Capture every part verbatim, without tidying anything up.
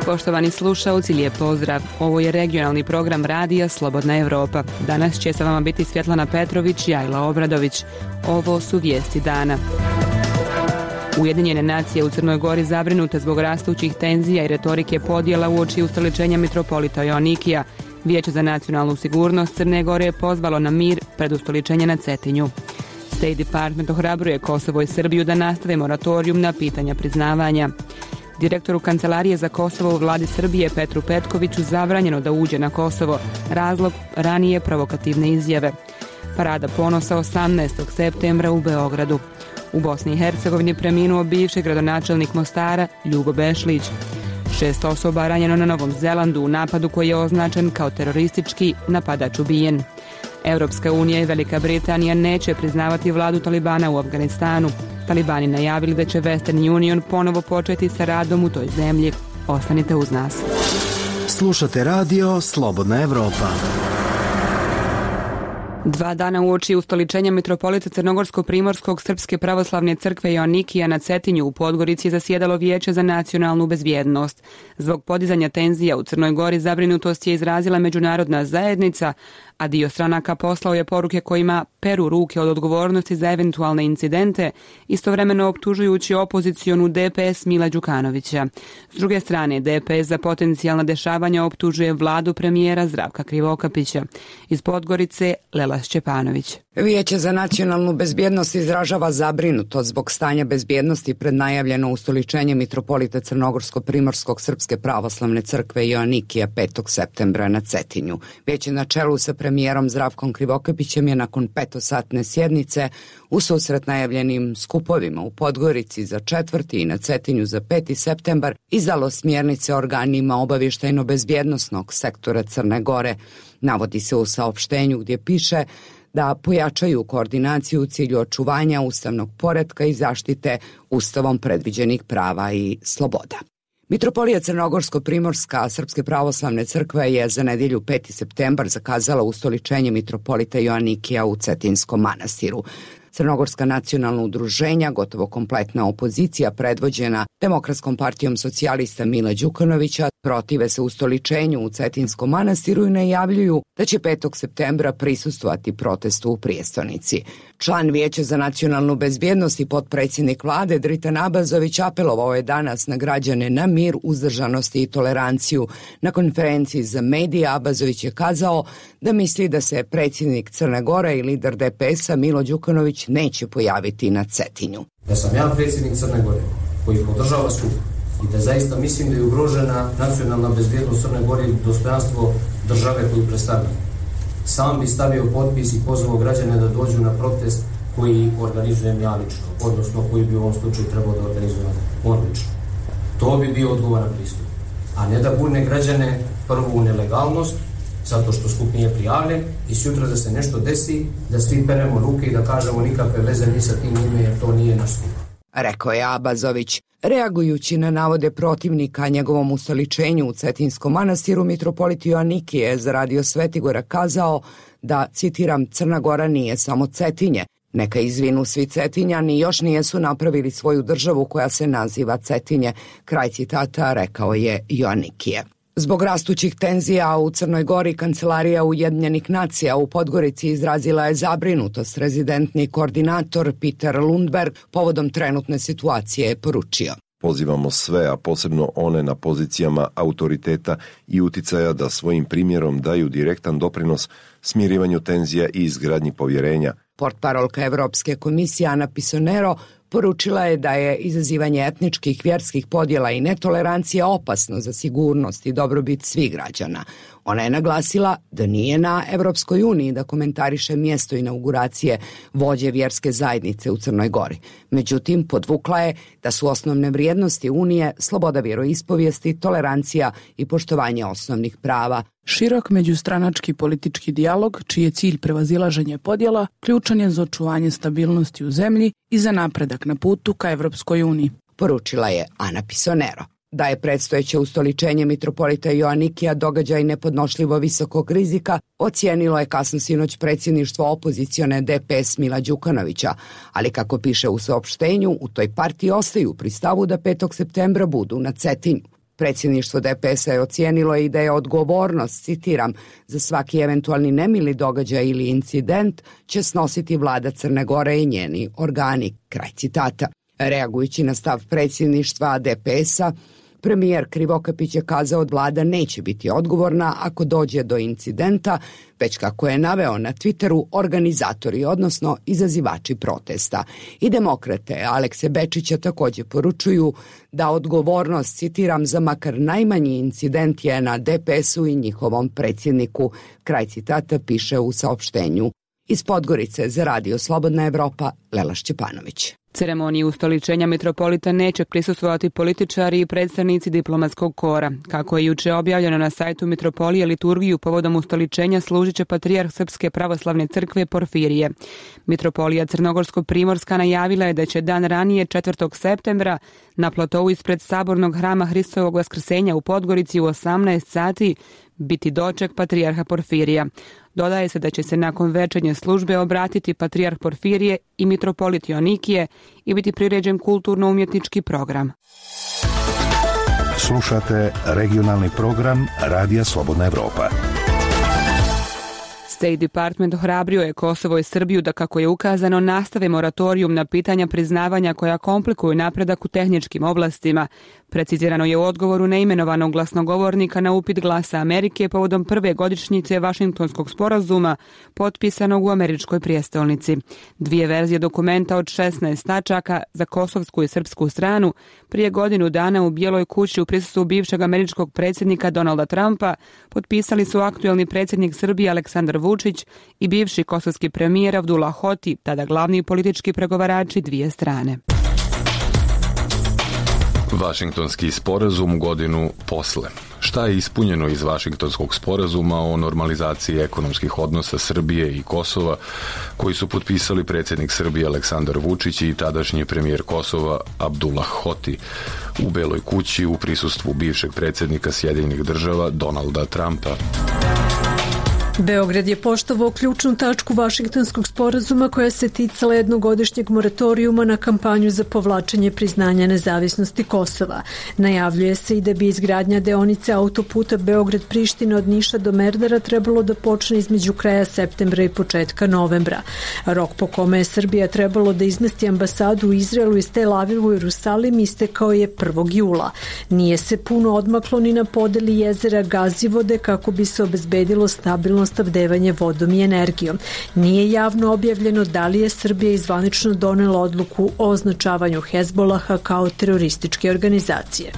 Poštovani slušaoci, lijep pozdrav. Ovo je regionalni program radija Slobodna Evropa. Danas će sa vama biti Svjetlana Petrović i Ajla Obradović. Ovo su vijesti dana. Ujedinjene nacije u Crnoj Gori zabrinute zbog rastućih tenzija i retorike podjela uoči ustoličenja mitropolita Joanikija. Vijeće za nacionalnu sigurnost Crne Gore je pozvalo na mir pred ustoličenje na Cetinju. State Department ohrabruje Kosovo i Srbiju da nastave moratorijum na pitanja priznavanja. Direktoru Kancelarije za Kosovo u vladi Srbije Petru Petkoviću zabranjeno da uđe na Kosovo. Razlog ranije provokativne izjave. Parada ponosa osamnaestog septembra u Beogradu. U Bosni i Hercegovini preminuo bivši gradonačelnik Mostara Ljubo Bešlić. Šest osoba ranjeno na Novom Zelandu u napadu koji je označen kao teroristički, napadač ubijen. Europska unija i Velika Britanija neće priznavati vladu Talibana u Afganistanu. Talibani najavili da će Western Union ponovo početi sa radom u toj zemlji. Ostanite uz nas. Slušate radio Slobodna Evropa. Dva dana uoči ustoličenja mitropolita Crnogorsko-Primorskog Srpske pravoslavne crkve Joanikija na Cetinju u Podgorici zasjedalo Vijeće za nacionalnu bezbjednost. Zbog podizanja tenzija u Crnoj Gori zabrinutost je izrazila međunarodna zajednica, a dio stranaka poslao je poruke kojima peru ruke od odgovornosti za eventualne incidente, istovremeno optužujući opozicionu D P S Mila Đukanovića. S druge strane, D P S za potencijalna dešavanja optužuje vladu premijera Zdravka Krivokapića. Iz Podgorice, Lela Šćepanović. Vijeće za nacionalnu bezbjednost izražava zabrinutost zbog stanja bezbjednosti pred najavljeno ustoličenje mitropolita Crnogorsko-Primorskog Srpske pravoslavne crkve Joanikija petog septembra na Cetinju. Vijeće na čelu sa premijerom Zdravkom Krivokapićem je nakon petosatne sjednice u susret najavljenim skupovima u Podgorici za četvrti i na Cetinju za peti septembar izdalo smjernice organima obavještajno-bezbjednosnog sektora Crne Gore. Navodi se u saopštenju gdje piše da pojačaju koordinaciju u cilju očuvanja ustavnog poretka i zaštite ustavom predviđenih prava i sloboda. Mitropolija Crnogorsko-Primorska Srpske pravoslavne crkve je za nedjelju peti septembar zakazala ustoličenje mitropolita Joanikija u Cetinskom manastiru. Crnogorska nacionalna udruženja, gotovo kompletna opozicija predvođena Demokratskom partijom socijalista Mila Đukanovića, protive se ustoličenju u Cetinskom manastiru i najavljuju da će petog septembra prisustvovati protestu u prijestolnici. Član Vijeća za nacionalnu bezbjednost i potpredsjednik vlade Dritan Abazović apelovao je danas na građane na mir, uzdržanost i toleranciju. Na konferenciji za medije Abazović je kazao da misli da se predsjednik Crne Gore i lider D P S-a Milo Đukanović neće pojaviti na Cetinju. Da sam ja predsjednik Crne Gore koji podržava skup i da zaista mislim da je ugrožena nacionalna bezbjednost Crne Gore i dostojanstvo države koju predstavlja. Sam bi stavio potpis i pozvao građane da dođu na protest koji organizujem ja lično, odnosno koji bi u ovom slučaju trebao da organizujem on lično. To bi bio odgovoran pristup. A ne da burne građane prvo u nelegalnost, zato što skup nije prijavljen i sutra da se nešto desi, da svi peremo ruke i da kažemo nikakve veze ni sa tim ime jer to nije naš skup. Rekao je Abazović. Reagujući na navode protivnika njegovom ustoličenju u Cetinskom manastiru, mitropolit Joanikije je za radio Svetigora kazao da, citiram, Crna Gora nije samo Cetinje. Neka izvinu svi Cetinjani, još nijesu napravili svoju državu koja se naziva Cetinje. Kraj citata rekao je Joanikije. Zbog rastućih tenzija u Crnoj Gori, Kancelarija Ujedinjenih nacija u Podgorici izrazila je zabrinutost. Rezidentni koordinator Peter Lundberg povodom trenutne situacije je poručio. Pozivamo sve, a posebno one na pozicijama autoriteta i uticaja da svojim primjerom daju direktan doprinos smirivanju tenzija i izgradnji povjerenja. Portparolka Evropske komisije Ana Pisonero poručila je da je izazivanje etničkih, vjerskih podjela i netolerancija opasno za sigurnost i dobrobit svih građana. Ona je naglasila da nije na Evropskoj uniji da komentariše mjesto inauguracije vođe vjerske zajednice u Crnoj Gori. Međutim, podvukla je da su osnovne vrijednosti Unije sloboda vjeroispovijesti, tolerancija i poštovanje osnovnih prava. Širok međustranački politički dijalog, čiji je cilj prevazilaženje podjela, ključan je za očuvanje stabilnosti u zemlji i za napredak na putu ka Evropskoj uniji, poručila je Ana Pisonero. Da je predstojeće ustoličenje mitropolita Joanikija događaj nepodnošljivo visokog rizika, ocijenilo je kasno sinoć predsjedništvo opozicione D P S Mila Đukanovića, ali kako piše u saopštenju, u toj partiji ostaju pri stavu da petog septembra budu na Cetinju. Predsjedništvo D P S-a je ocijenilo i da je odgovornost, citiram, za svaki eventualni nemili događaj ili incident će snositi vlada Crne Gore i njeni organi, kraj citata. Reagujući na stav predsjedništva D P S-a, premijer Krivokapić je kazao da vlada neće biti odgovorna ako dođe do incidenta, već kako je naveo na Twitteru organizatori, odnosno izazivači protesta. I demokrate Alekse Bečića također poručuju da odgovornost, citiram, za makar najmanji incident je na D P S-u i njihovom predsjedniku, kraj citata piše u saopštenju. Iz Podgorice za Radio Slobodna Evropa, Lela Šćepanović. Ceremoniji ustoličenja mitropolita neće prisustvovati političari i predstavnici diplomatskog kora. Kako je juče objavljeno na sajtu mitropolije, liturgiju povodom ustoličenja služit će patrijarh Srpske pravoslavne crkve Porfirije. Mitropolija Crnogorsko-primorska najavila je da će dan ranije, četvrtog septembra, na platovu ispred sabornog hrama Hristovog vaskrsenja u Podgorici u osamnaest sati biti doček patrijarha Porfirija. Dodaje se da će se nakon večernje službe obratiti patrijarh Porfirije i mitropolit Joanikije i biti priređen kulturno-umjetnički program. Slušate regionalni program Radija Slobodna Evropa. State Department ohrabrio je Kosovo i Srbiju da, kako je ukazano, nastave moratorijum na pitanja priznavanja koja komplikuju napredak u tehničkim oblastima. Precizirano je u odgovoru neimenovanog glasnogovornika na upit Glasa Amerike povodom prve godišnjice Vašingtonskog sporazuma potpisanog u američkoj prijestolnici. Dvije verzije dokumenta od šesnaest tačaka za kosovsku i srpsku stranu prije godinu dana u Bijeloj kući u prisustvu bivšeg američkog predsjednika Donalda Trumpa potpisali su aktuelni predsjednik Srbije Aleksandar Vučić i bivši kosovski premijer Abdullah Hoti, tada glavni politički pregovarači dvije strane. Vašingtonski sporazum godinu posle. Šta je ispunjeno iz Vašingtonskog sporazuma o normalizaciji ekonomskih odnosa Srbije i Kosova, koji su potpisali predsjednik Srbije Aleksandar Vučić i tadašnji premijer Kosova Abdullah Hoti u Beloj kući u prisustvu bivšeg predsjednika Sjedinjenih država Donalda Trumpa? Beograd je poštovao ključnu tačku Vašingtonskog sporazuma koja se ticala jednogodišnjeg moratorijuma na kampanju za povlačenje priznanja nezavisnosti Kosova. Najavljuje se i da bi izgradnja deonice autoputa Beograd-Priština od Niša do Merdara trebalo da počne između kraja septembra i početka novembra. Rok po kome je Srbija trebalo da izmesti ambasadu u Izraelu iz Tel Avivu i Jerusalim istekao je prvog jula. Nije se puno odmaklo ni na podeli jezera Gazivode kako bi se obezbedilo stabilno snabdevanje vodom i energijom. Nije javno objavljeno da li je Srbija izvanično donela odluku o označavanju Hezbolaha kao terorističke organizacije.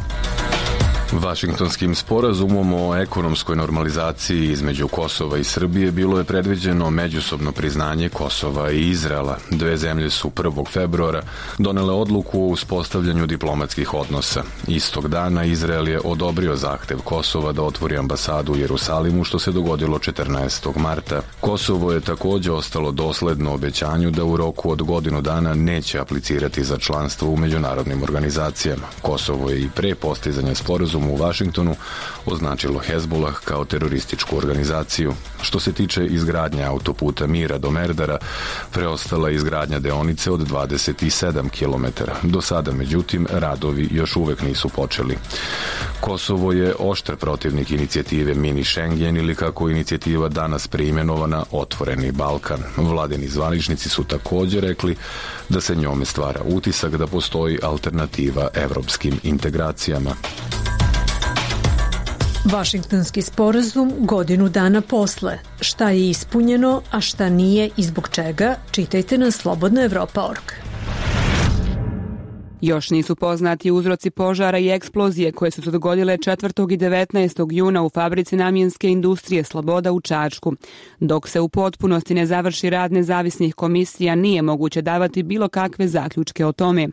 Vašingtonskim sporazumom o ekonomskoj normalizaciji između Kosova i Srbije bilo je predviđeno međusobno priznanje Kosova i Izraela. Dve zemlje su prvog februara donele odluku o uspostavljanju diplomatskih odnosa. Istog dana Izrael je odobrio zahtev Kosova da otvori ambasadu u Jerusalimu, što se dogodilo četrnaestog marta. Kosovo je također ostalo dosledno obećanju da u roku od godinu dana neće aplicirati za članstvo u međunarodnim organizacijama. Kosovo je i pre postizanja sporazuma u Vašingtonu označilo Hezbolah kao terorističku organizaciju. Što se tiče izgradnje autoputa Mira do Merdara, preostala je izgradnja deonice od dvadeset sedam kilometara. Do sada, međutim, radovi još uvek nisu počeli. Kosovo je oštar protivnik inicijative Mini Schengen ili, kako inicijativa danas preimenovana, Otvoreni Balkan. Vladini zvaničnici su također rekli da se njome stvara utisak da postoji alternativa evropskim integracijama. Vašingtonski sporazum godinu dana posle. Šta je ispunjeno, a šta nije i zbog čega, čitajte na slobodna evropa tačka org. Još nisu poznati uzroci požara i eksplozije koje su se dogodile četvrtog i devetnaestog juna u fabrici namjenske industrije Sloboda u Čačku. Dok se u potpunosti ne završi rad nezavisnih komisija, nije moguće davati bilo kakve zaključke o tome.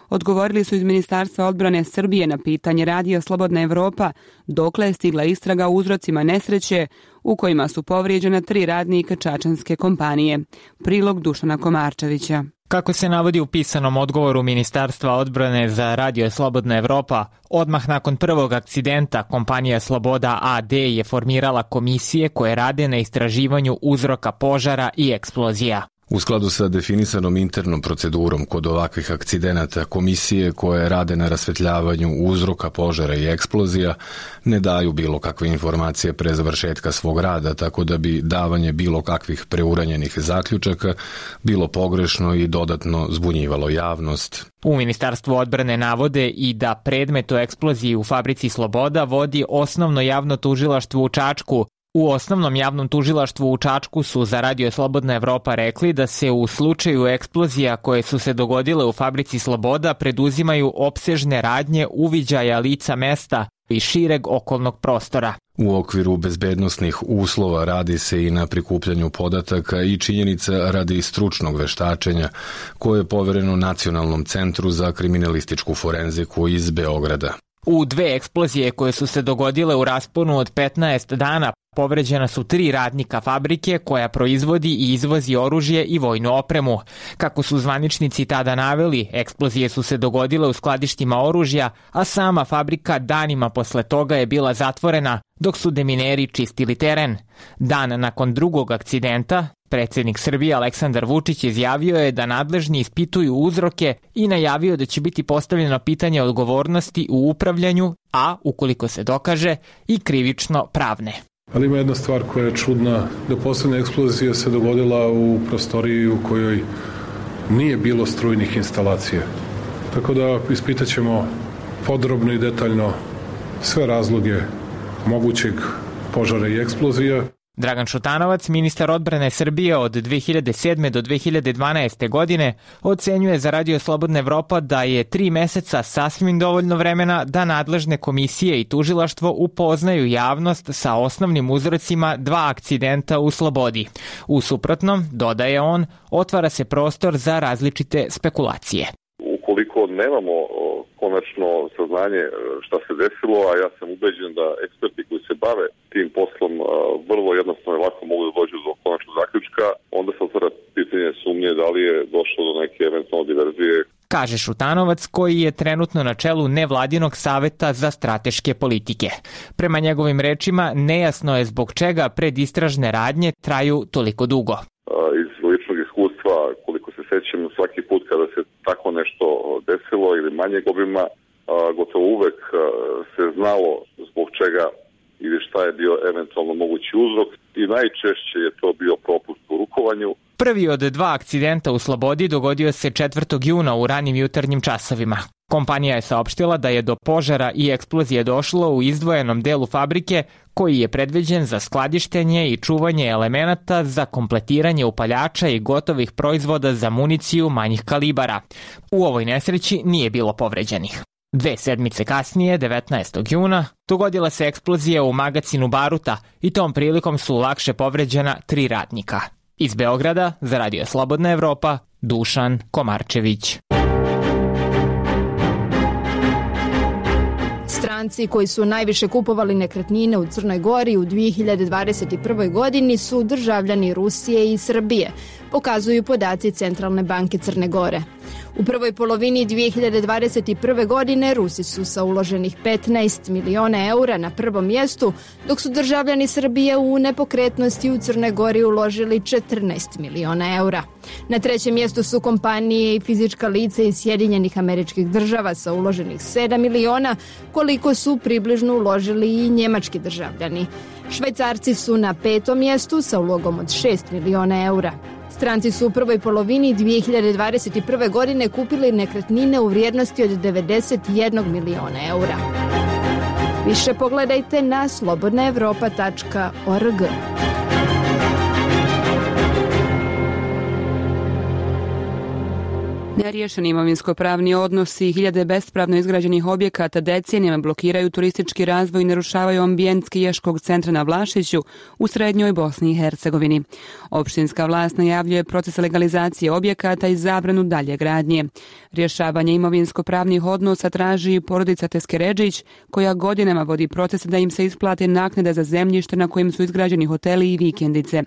Odgovorili su iz Ministarstva odbrane Srbije na pitanje Radija Slobodna Evropa dokle je stigla istraga o uzrocima nesreće u kojima su povrijeđena tri radnika čačanske kompanije. Prilog Dušana Komarčevića. Kako se navodi u pisanom odgovoru Ministarstva odbrane za Radio Slobodna Evropa, odmah nakon prvog akcidenta kompanija Sloboda a de je formirala komisije koje rade na istraživanju uzroka požara i eksplozija. U skladu sa definisanom internom procedurom kod ovakvih akcidenata, komisije koje rade na rasvetljavanju uzroka požara i eksplozija ne daju bilo kakve informacije pre završetka svog rada, tako da bi davanje bilo kakvih preuranjenih zaključaka bilo pogrešno i dodatno zbunjivalo javnost. U Ministarstvu odbrane navode i da predmet o eksploziji u fabrici Sloboda vodi osnovno javno tužilaštvo u Čačku. U osnovnom javnom tužilaštvu u Čačku su za Radio Slobodna Evropa rekli da se u slučaju eksplozija koje su se dogodile u fabrici Sloboda preduzimaju opsežne radnje uviđaja lica mesta i šireg okolnog prostora. U okviru bezbednosnih uslova radi se i na prikupljanju podataka i činjenica radi stručnog veštačenja koje je povereno Nacionalnom centru za kriminalističku forenziku iz Beograda. U dve eksplozije koje su se dogodile u rasponu od petnaest dana povređena su tri radnika fabrike koja proizvodi i izvozi oružje i vojnu opremu. Kako su zvaničnici tada naveli, eksplozije su se dogodile u skladištima oružja, a sama fabrika danima posle toga je bila zatvorena dok su demineri čistili teren. Dan nakon drugog akcidenta, predsjednik Srbije Aleksandar Vučić izjavio je da nadležni ispituju uzroke i najavio da će biti postavljeno pitanje odgovornosti u upravljanju, a, ukoliko se dokaže, i krivično pravne. Ali ima jedna stvar koja je čudna, da poslednja eksplozija se dogodila u prostoriji u kojoj nije bilo strujnih instalacija. Tako da ispitat ćemo podrobno i detaljno sve razloge mogućeg požara i eksplozija. Dragan Šutanovac, ministar odbrane Srbije od dve hiljade sedme do dve hiljade dvanaeste. godine, ocenjuje za Radio Slobodna Evropa da je tri meseca sasvim dovoljno vremena da nadležne komisije i tužilaštvo upoznaju javnost sa osnovnim uzrocima dva akcidenta u Slobodi. U suprotnom, dodaje on, otvara se prostor za različite spekulacije. Ukoliko nemamo konačno saznanje šta se desilo, a ja sam ubeđen da eksperti koji se bave tim poslom vrlo jednostavno i lako mogu da dođu do konačnog zaključka, onda se otvara pitanje sumnje da li je došlo do neke eventualne diverzije. Kaže Šutanovac, koji je trenutno na čelu nevladinog saveta za strateške politike. Prema njegovim rečima, nejasno je zbog čega predistražne radnje traju toliko dugo. Iz ličnog iskustva, koliko se sećam, svaki put kada se tako nešto desilo ili manjeg obima, gotovo uvek se znalo zbog čega ili šta je bio eventualno mogući uzrok i najčešće je to bio propust u rukovanju. Prvi od dva akcidenta u Slobodi dogodio se četvrtog juna u ranim jutarnjim časovima. Kompanija je saopštila da je do požara i eksplozije došlo u izdvojenom delu fabrike koji je predviđen za skladištenje i čuvanje elemenata za kompletiranje upaljača i gotovih proizvoda za municiju manjih kalibara. U ovoj nesreći nije bilo povređenih. Dve sedmice kasnije, devetnaestog juna, dogodila se eksplozija u magacinu baruta i tom prilikom su lakše povređena tri radnika. Iz Beograda, za Radio Slobodna Evropa, Dušan Komarčević. Stranci koji su najviše kupovali nekretnine u Crnoj Gori u dve hiljade dvadeset prvoj. godini su državljani Rusije i Srbije, pokazuju podaci Centralne banke Crne Gore. U prvoj polovini dve hiljade dvadeset prve. godine Rusi su sa uloženih petnaest miliona eura na prvom mjestu, dok su državljani Srbije u nepokretnosti u Crnoj Gori uložili četrnaest miliona eura. Na trećem mjestu su kompanije i fizička lica iz Sjedinjenih Američkih Država sa uloženih sedam miliona, koliko su približno uložili i njemački državljani. Švajcarci su na petom mjestu sa ulogom od šest miliona eura. Stranci su u prvoj polovini dve hiljade dvadeset prve. godine kupili nekretnine u vrijednosti od devedeset jedan miliona eura. Više pogledajte na slobodna evropa tačka org. Neriješeni imovinsko-pravni odnosi i hiljade bespravno izgrađenih objekata decenijama blokiraju turistički razvoj i narušavaju ambijent skijaškog centra na Vlašiću u srednjoj Bosni i Hercegovini. Opštinska vlast najavljuje proces legalizacije objekata i zabranu dalje gradnje. Rješavanje imovinsko-pravnih odnosa traži i porodica Teskeredžić, koja godinama vodi proces da im se isplate naknade za zemljište na kojim su izgrađeni hoteli i vikendice.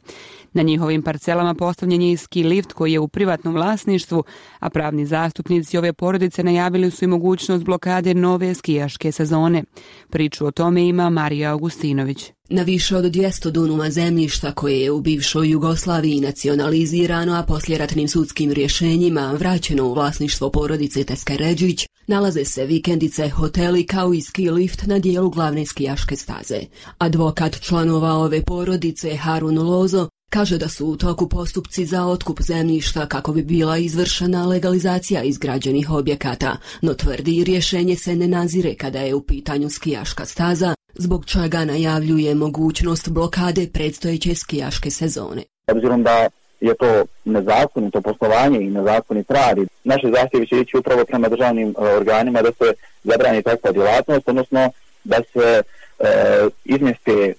Na njihovim parcelama postavljen je i ski lift koji je u privatnom vlasništvu, a pravni zastupnici ove porodice najavili su i mogućnost blokade nove skijaške sezone. Priču o tome ima Marija Augustinović. Na više od dvjesto dunuma zemljišta koje je u bivšoj Jugoslaviji nacionalizirano, a poslijeratnim sudskim rješenjima vraćeno u vlasništvo porodice Teskeredžić, nalaze se vikendice, hoteli kao i ski lift na dijelu glavne skijaške staze. Advokat članova ove porodice Harun Lozo kaže da su u toku postupci za otkup zemljišta kako bi bila izvršena legalizacija izgrađenih objekata, no tvrdi rješenje se ne nazire kada je u pitanju skijaška staza, zbog čega najavljuje mogućnost blokade predstojeće skijaške sezone. Obzirom da je to nezakonito poslovanje i nezakonit rad, naše zahtjevi će ići upravo prema državnim organima da se zabrani takva djelatnost, odnosno da se E, izmjeste e,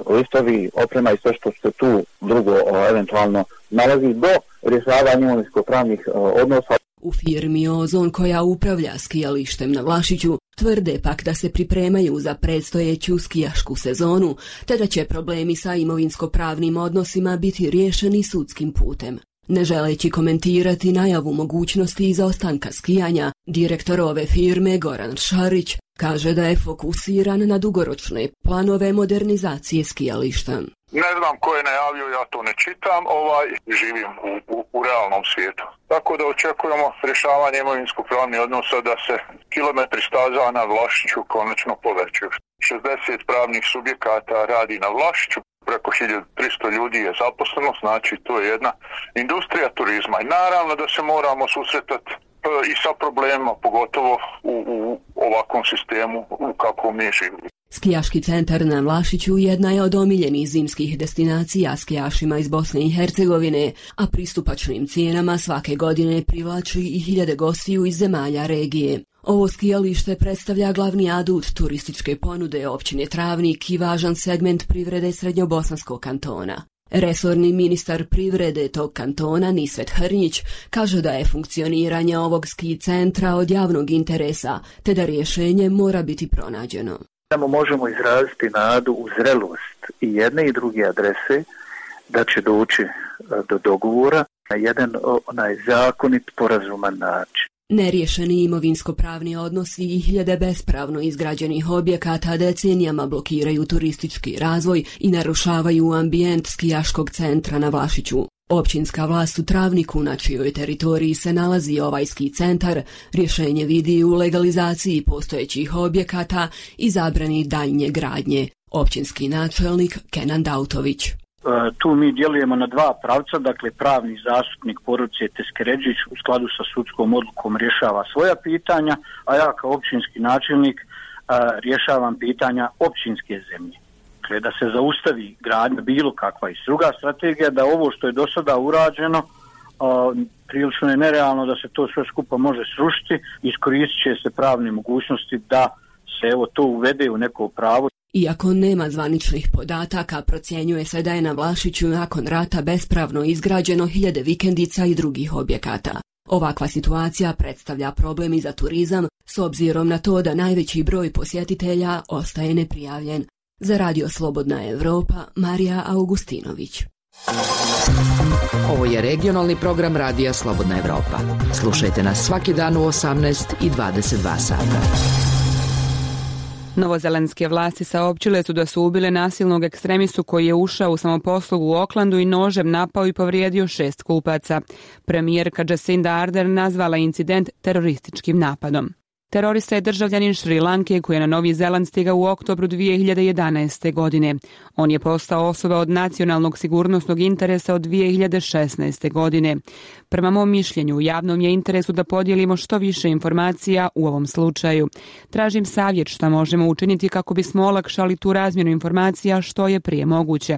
listovi, oprema i sve što se tu drugo o, eventualno nalazi do rješavanja imovinsko-pravnih e, odnosa. U firmi Ozon, koja upravlja skijalištem na Vlašiću, tvrde pak da se pripremaju za predstojeću skijašku sezonu, te da će problemi sa imovinsko-pravnim odnosima biti riješeni sudskim putem. Ne želeći komentirati najavu mogućnosti izostanka skijanja, direktor ove firme Goran Šarić kaže da je fokusiran na dugoročne planove modernizacije skijališta. Ne znam ko je najavio, ja to ne čitam, ovaj, živim u, u, u realnom svijetu. Tako da očekujemo rješavanje imovinsko-pravnih odnosa da se kilometri staza na Vlašiću konačno povećaju. šezdeset pravnih subjekata radi na Vlašiću, preko hiljadu tristo ljudi je zaposleno, znači to je jedna industrija turizma. I naravno da se moramo susretati i sa problemima, pogotovo u, u ovakvom sistemu u kakvom mi živimo. Skijaški centar na Vlašiću jedna je od omiljenih zimskih destinacija skijašima iz Bosne i Hercegovine, a pristupačnim cijenama svake godine privlači i hiljade gostiju iz zemalja regije. Ovo skijalište predstavlja glavni adut turističke ponude općine Travnik i važan segment privrede Srednjobosanskog kantona. Resorni ministar privrede tog kantona Nisvet Hrnjić kaže da je funkcioniranje ovog ski centra od javnog interesa, te da rješenje mora biti pronađeno. Samo možemo izraziti nadu u zrelost i jedne i druge adrese da će doći do dogovora na jedan onaj zakonit, porazuman način. Neriješeni imovinsko-pravni odnosi i hiljade bespravno izgrađenih objekata decenijama blokiraju turistički razvoj i narušavaju ambijent skijaškog centra na Vlašiću. Općinska vlast u Travniku, na čijoj teritoriji se nalazi ovaj ski centar, rješenje vidi u legalizaciji postojećih objekata i zabrani daljnje gradnje. Općinski načelnik Kenan Dautović. Tu mi djelujemo na dva pravca, dakle pravni zastupnik porodice Teskeredžić u skladu sa sudskom odlukom rješava svoja pitanja, a ja kao općinski načelnik rješavam pitanja općinske zemlje. Dakle, da se zaustavi gradnja bilo kakva i druga strategija, da ovo što je do sada urađeno, prilično je nerealno da se to sve skupa može srušiti, iskoristit će se pravne mogućnosti da se evo to uvede u neko pravo. Iako nema zvaničnih podataka, procjenjuje se da je na Vlašiću nakon rata bespravno izgrađeno hiljade vikendica i drugih objekata. Ovakva situacija predstavlja problem i za turizam, s obzirom na to da najveći broj posjetitelja ostaje neprijavljen. Za Radio Slobodna Evropa, Marija Augustinović. Ovo je regionalni program Radija Slobodna Evropa. Slušajte nas svaki dan u osamnaest i dvadeset dva sata. Novozelandske vlasti saopćile su da su ubile nasilnog ekstremistu koji je ušao u samoposlugu u Oklandu i nožem napao i povrijedio šest kupaca. Premijerka Jacinda Ardern nazvala incident terorističkim napadom. Terorista je državljanin Šri Lanke koji je na Novi Zeland stigao u oktobru dvije hiljade jedanaeste. godine. On je postao osoba od nacionalnog sigurnosnog interesa od dvije hiljade šesnaeste. godine. Prema mom mišljenju, u javnom je interesu da podijelimo što više informacija u ovom slučaju. Tražim savjet šta možemo učiniti kako bismo olakšali tu razmjenu informacija što je prije moguće,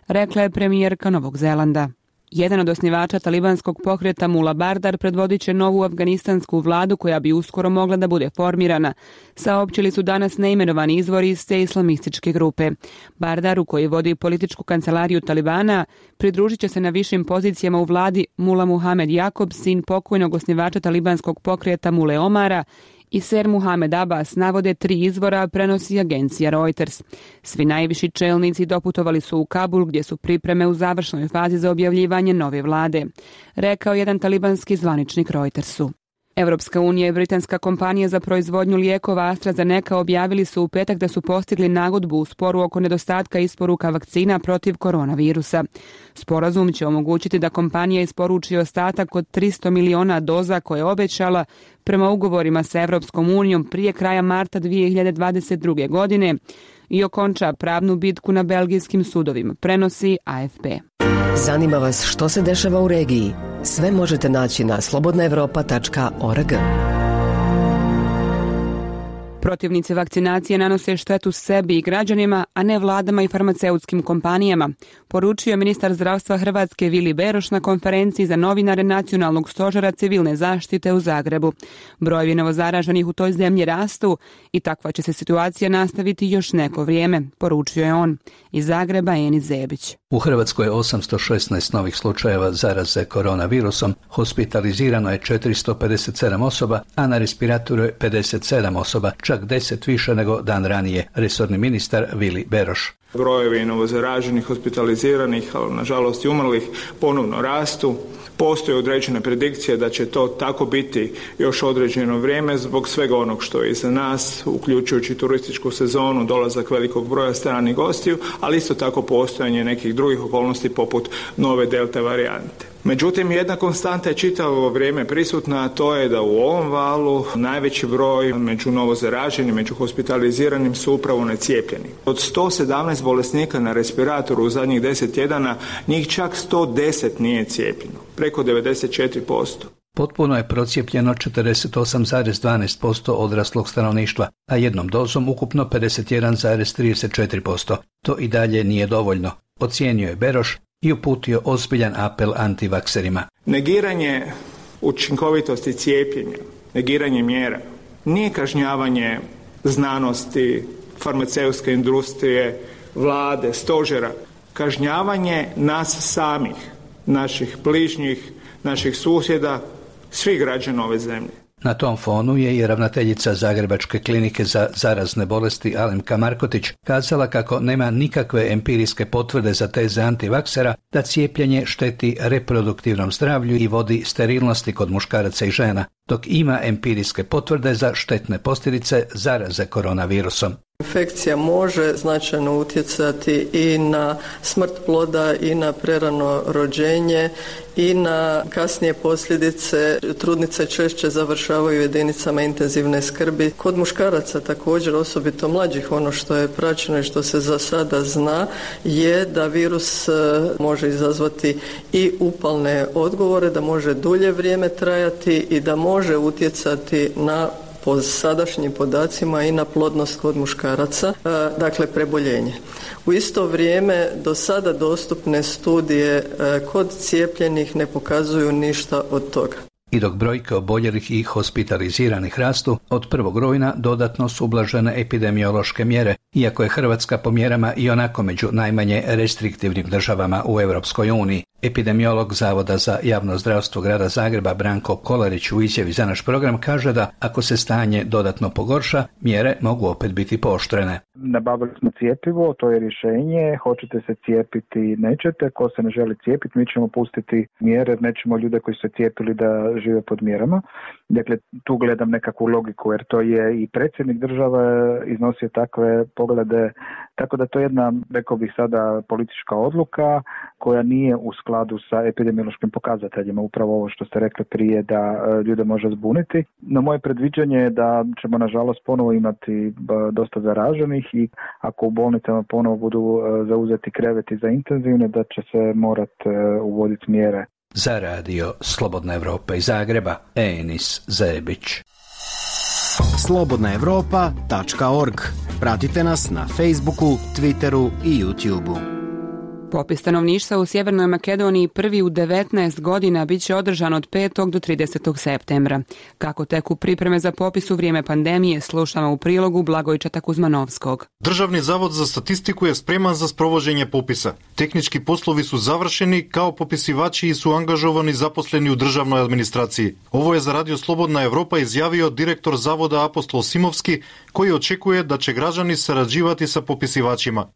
rekla je premijerka Novog Zelanda. Jedan od osnivača talibanskog pokreta Mula Bardar predvodit će novu afganistansku vladu koja bi uskoro mogla da bude formirana, saopćili su danas neimenovani izvori iz te islamističke grupe. Bardaru, koji vodi političku kancelariju Talibana, pridružit će se na višim pozicijama u vladi Mula Muhamed Jakob, sin pokojnog osnivača talibanskog pokreta Mule Omara, i Ser Muhamed Abbas, navode tri izvora, prenosi agencija Reuters. Svi najviši čelnici doputovali su u Kabul, gdje su pripreme u završnoj fazi za objavljivanje nove vlade, rekao jedan talibanski zvaničnik Reutersu. Evropska unija i britanska kompanija za proizvodnju lijekova AstraZeneca objavili su u petak da su postigli nagodbu u sporu oko nedostatka isporuka vakcina protiv koronavirusa. Sporazum će omogućiti da kompanija isporuči ostatak od tristo miliona doza koje je obećala prema ugovorima sa Evropskom unijom prije kraja marta dvije hiljade dvadeset druge. godine i okonča pravnu bitku na belgijskim sudovima, prenosi A F P. Zanima vas što se dešava u regiji? Sve možete naći na slobodna evropa tačka org. Protivnici vakcinacije nanose štetu sebi i građanima, a ne vladama i farmaceutskim kompanijama, poručio ministar zdravstva Hrvatske Vili Beroš na konferenciji za novinare Nacionalnog stožera civilne zaštite u Zagrebu. Brojevi novozaraženih u toj zemlji rastu i takva će se situacija nastaviti još neko vrijeme, poručio je on. Iz Zagreba Enis Zebić. U Hrvatskoj je osamsto šesnaest novih slučajeva zaraze koronavirusom, hospitalizirano je četiristo pedeset sedam osoba, a na respiratoru je pedeset sedam osoba, čak deset više nego dan ranije, resorni ministar Vili Beroš. Brojevi novozaraženih, hospitaliziranih, ali nažalost i umrlih ponovno rastu. Postoje određene predikcije da će to tako biti još određeno vrijeme zbog svega onog što je iza nas, uključujući turističku sezonu, dolazak velikog broja stranih gostiju, ali isto tako postojanje nekih drugih okolnosti poput nove delta varijante. Međutim, jedna konstanta je čitavo vrijeme prisutna, a to je da u ovom valu najveći broj među novozaraženim, među hospitaliziranim su upravo necijepljeni. Od sto sedamnaest bolesnika na respiratoru u zadnjih deset tjedana, njih čak sto deset nije cijepljeno, preko devedeset četiri posto. Potpuno je procijepljeno četrdeset osam zarez dvanaest posto odraslog stanovništva, a jednom dozom ukupno pedeset jedan zarez trideset četiri posto. To i dalje nije dovoljno, ocijenio je Beroš i uputio ozbiljan apel antivakserima. Negiranje učinkovitosti cijepljenja, negiranje mjera, nije kažnjavanje znanosti, farmaceutske industrije, vlade, stožera, kažnjavanje nas samih, naših bližnjih, naših susjeda, svih građana ove zemlje. Na tom fonu je i ravnateljica Zagrebačke klinike za zarazne bolesti Alemka Markotić kazala kako nema nikakve empirijske potvrde za teze antivaksera da cijepljenje šteti reproduktivnom zdravlju i vodi sterilnosti kod muškaraca i žena, dok ima empirijske potvrde za štetne posljedice zaraze koronavirusom. Infekcija može značajno utjecati i na smrt ploda i na prerano rođenje i na kasnije posljedice. Trudnice češće završavaju u jedinicama intenzivne skrbi. Kod muškaraca također, osobito mlađih, ono što je praćeno i što se za sada zna je da virus može izazvati i upalne odgovore, da može dulje vrijeme trajati i da može utjecati na po sadašnjim podacima i na plodnost kod muškaraca, dakle preboljenje. U isto vrijeme do sada dostupne studije kod cijepljenih ne pokazuju ništa od toga. I dok brojke oboljelih i hospitaliziranih rastu, od prvog rujna dodatno su ublažene epidemiološke mjere, iako je Hrvatska po mjerama i onako među najmanje restriktivnim državama u Europskoj uniji. Epidemiolog Zavoda za javno zdravstvo grada Zagreba Branko Kolarić u izjavi za naš program kaže da ako se stanje dodatno pogorša, mjere mogu opet biti pooštrene. Nabavili smo cjepivo, to je rješenje, hoćete se cijepiti, nećete, ko se ne želi cijepiti, mi ćemo pustiti mjere, nećemo ljude koji su se cijepili da žive pod mjerama. Dakle, tu gledam nekakvu logiku, jer to je i predsjednik države iznosio takve poglede, tako da to je jedna, rekao bih sada, politička odluka koja nije u skladu sa epidemiološkim pokazateljima, upravo ovo što ste rekli prije, da ljude može zbuniti. No moje predviđanje je da ćemo nažalost ponovo imati dosta zaraženih i ako u bolnicama ponovo budu zauzeti kreveti za intenzivne, da će se morati uvoditi mjere. Za radio Slobodna Evropa iz Zagreba, Enis Zebić. slobodna evropa tačka org. Pratite nas na Facebooku, Twitteru i YouTubeu. Popis stanovništva u Sjevernoj Makedoniji prvi u devetnaest godina bit će održan od petog do tridesetog septembra. Kako teku pripreme za popis u vrijeme pandemije, slušamo u prilogu Blagojčata Kuzmanovskog. Državni zavod za statistiku je spreman za sprovođenje popisa. Tehnički poslovi su završeni, kao popisivači su angažovani zaposleni u državnoj administraciji. Ovo je za Radio Slobodna Evropa izjavio direktor zavoda Apostol Simovski, koji očekuje da će građani sarađivati sa popisivačima.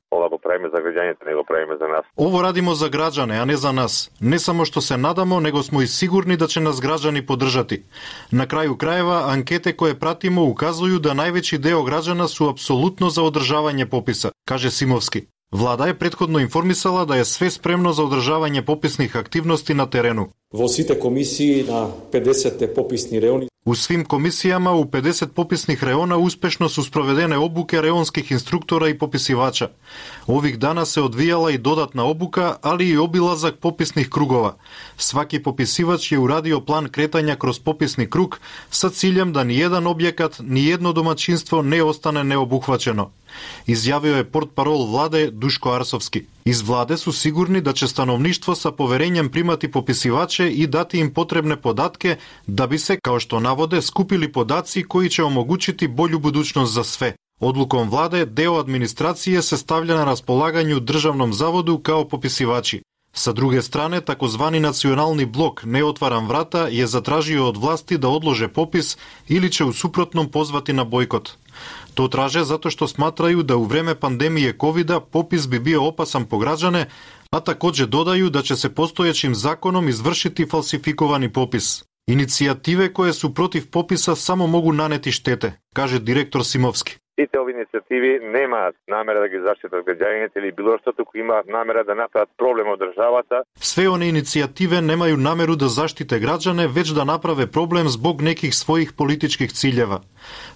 Ovo radimo za građane, a ne za nas. Ne samo što se nadamo, nego smo i sigurni da će nas građani podržati. Na kraju krajeva, ankete koje pratimo ukazuju da najveći deo građana su apsolutno za održavanje popisa, kaže Simovski. Vlada je prethodno informisala da je sve spremno za održavanje popisnih aktivnosti na terenu. Во сите комисии на педесет пописни реони. U svim komisijama u pedeset popisnih reona uspešno su sprovedene obuke reonskih instruktora i popisivača. Ovih dana se odvijala i dodatna obuka, ali i obilazak popisnih krugova. Svaki popisivač je uradio plan kretanja kroz popisni krug sa ciljem da nijedan objekat, nijedno domaćinstvo ne ostane neobuhvaćeno. Izjavio je portparol vlade Duško Arsovski. Iz vlade su sigurni da će stanovništvo sa poverenjem primati popisivače i dati im potrebne podatke da bi se, kao što navode, skupili podaci koji će omogućiti bolju budućnost za sve. Odlukom vlade deo administracije se stavlja na raspolaganju državnom zavodu kao popisivači. Sa druge strane, takozvani nacionalni blok Ne otvaram vrata je zatražio od vlasti da odlože popis ili će u suprotnom pozvati na bojkot. To traže zato što smatraju da u vreme pandemije kovida popis bi bio opasan po građane, a također dodaju da će se postojećim zakonom izvršiti falsifikovani popis. Inicijative koje su protiv popisa samo mogu naneti štete, kaže direktor Simovski. Site ove inicijativi nema namera da ga zaštite od građanite ili bilo što tako ima namera da napravi problem od državata. Sve one inicijative nemaju nameru da zaštite građane, već da naprave problem zbog nekih svojih političkih ciljeva.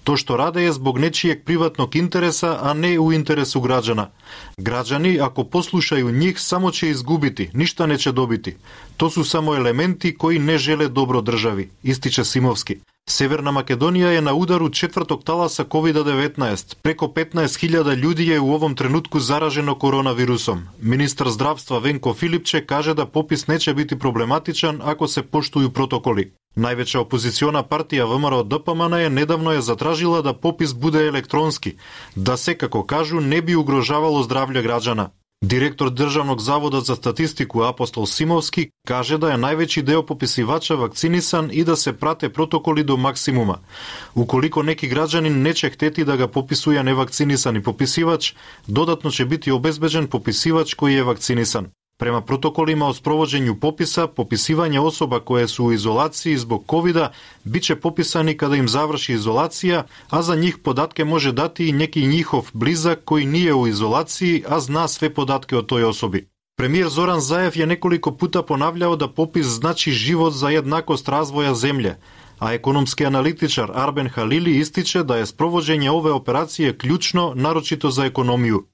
To što rade je zbog nečijeg privatnog interesa, a ne u interesu građana. Građani, ako poslušaju njih, samo će izgubiti, ništa neće dobiti. To su samo elementi koji ne žele dobro državi, ističe Simovski. Severna Makedonija je na udaru četvrtog talasa kovid devetnaest. Preko petnaest hiljada ljudi je u ovom trenutku zaraženo koronavirusom. Ministar zdravstva Venko Filipče kaže da popis neće biti problematičan ako se poštuju protokoli. Najveća opoziciona partija V M R O D P M N je nedavno je zatražila da popis bude elektronski, da se, kako kažu, ne bi ugrožavalo zdravlje građana. Direktor Državnog zavoda za statistiku Apostol Simovski kaže da je najveći deo popisivača vakcinisan i da se prate protokoli do maksimuma. Ukoliko neki građanin neće hteti da ga popisuje nevakcinisani popisivač, dodatno će biti obezbeđen popisivač koji je vakcinisan. Prema protokolima o sprovođenju popisa, popisivanje osoba koje su u izolaciji zbog kovida bit će popisani kada im završi izolacija, a za njih podatke može dati i neki njihov blizak koji nije u izolaciji, a zna sve podatke o toj osobi. Premijer Zoran Zaev je nekoliko puta ponavljao da popis znači život za jednakost razvoja zemlje, a ekonomski analitičar Arben Halili ističe da je sprovođenje ove operacije ključno, naročito za ekonomiju.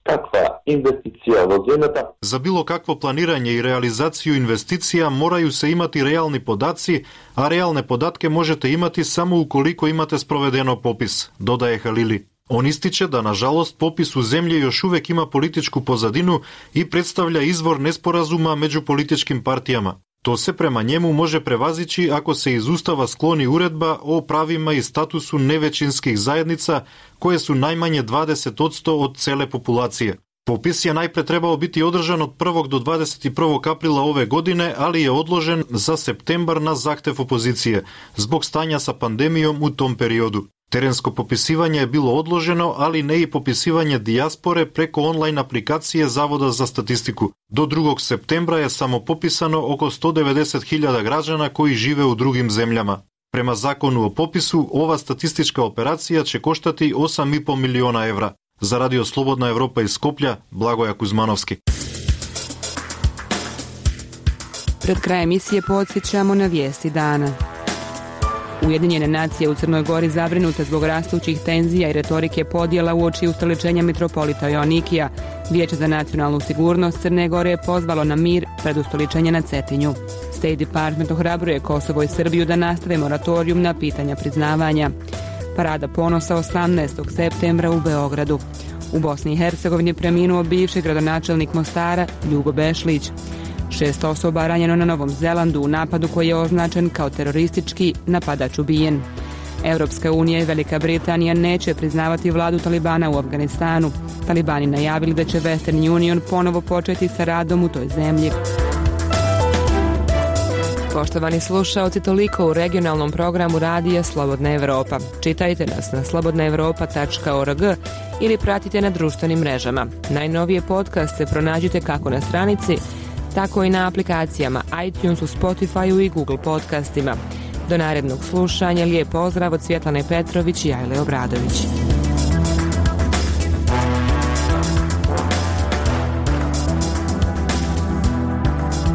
Takva investicija vođenata. Za bilo kakvo planiranje i realizaciju investicija moraju se imati realni podaci, a realne podatke možete imati samo ukoliko imate sprovedeno popis, dodaje Halili. On ističe da, nažalost, popis u zemlji još uvek ima političku pozadinu i predstavlja izvor nesporazuma među političkim partijama. To se prema njemu može prevazići ako se iz Ustava skloni uredba o pravima i statusu nevećinskih zajednica koje su najmanje dvadeset posto od cele populacije. Popis je najpre trebao biti održan od prvog do dvadeset prvog aprila ove godine, ali je odložen za septembar na zahtev opozicije, zbog stanja sa pandemijom u tom periodu. Terensko popisivanje je bilo odloženo, ali ne i popisivanje dijaspore preko online aplikacije Zavoda za statistiku. Do drugog septembra je samo popisano oko sto devedeset hiljada građana koji žive u drugim zemljama. Prema zakonu o popisu, ova statistička operacija će koštati osam i po miliona evra. Za Radio Slobodna Evropa iz Skoplja, Blagoja Kuzmanovski. Pred krajem emisije podsjećamo na vijesti dana. Ujedinjene nacije u Crnoj Gori zabrinute zbog rastućih tenzija i retorike podjela uoči ustoličenja mitropolita Joanikija. Vijeće za nacionalnu sigurnost Crne Gore je pozvalo na mir pred ustoličenje na Cetinju. State Department ohrabruje Kosovo i Srbiju da nastave moratorijum na pitanja priznavanja. Parada ponosa osamnaestog septembra u Beogradu. U Bosni i Hercegovini preminuo bivši gradonačelnik Mostara Ljugo Bešlić. Šest osoba ranjeno na Novom Zelandu u napadu koji je označen kao teroristički, napadač ubijen. Europska unija i Velika Britanija neće priznavati vladu Talibana u Afganistanu. Talibani najavili da će Western Union ponovo početi sa radom u toj zemlji. Poštovani slušaoci, toliko u regionalnom programu Radija Slobodna Evropa. Čitajte nas na slobodna evropa tačka org ili pratite na društvenim mrežama. Najnovije podcaste pronađite kako na stranici, tako i na aplikacijama iTunesu, Spotifyu i Google podcastima. Do narednog slušanja, lijep pozdrav od Svjetlane Petrović i Ajle Obradović.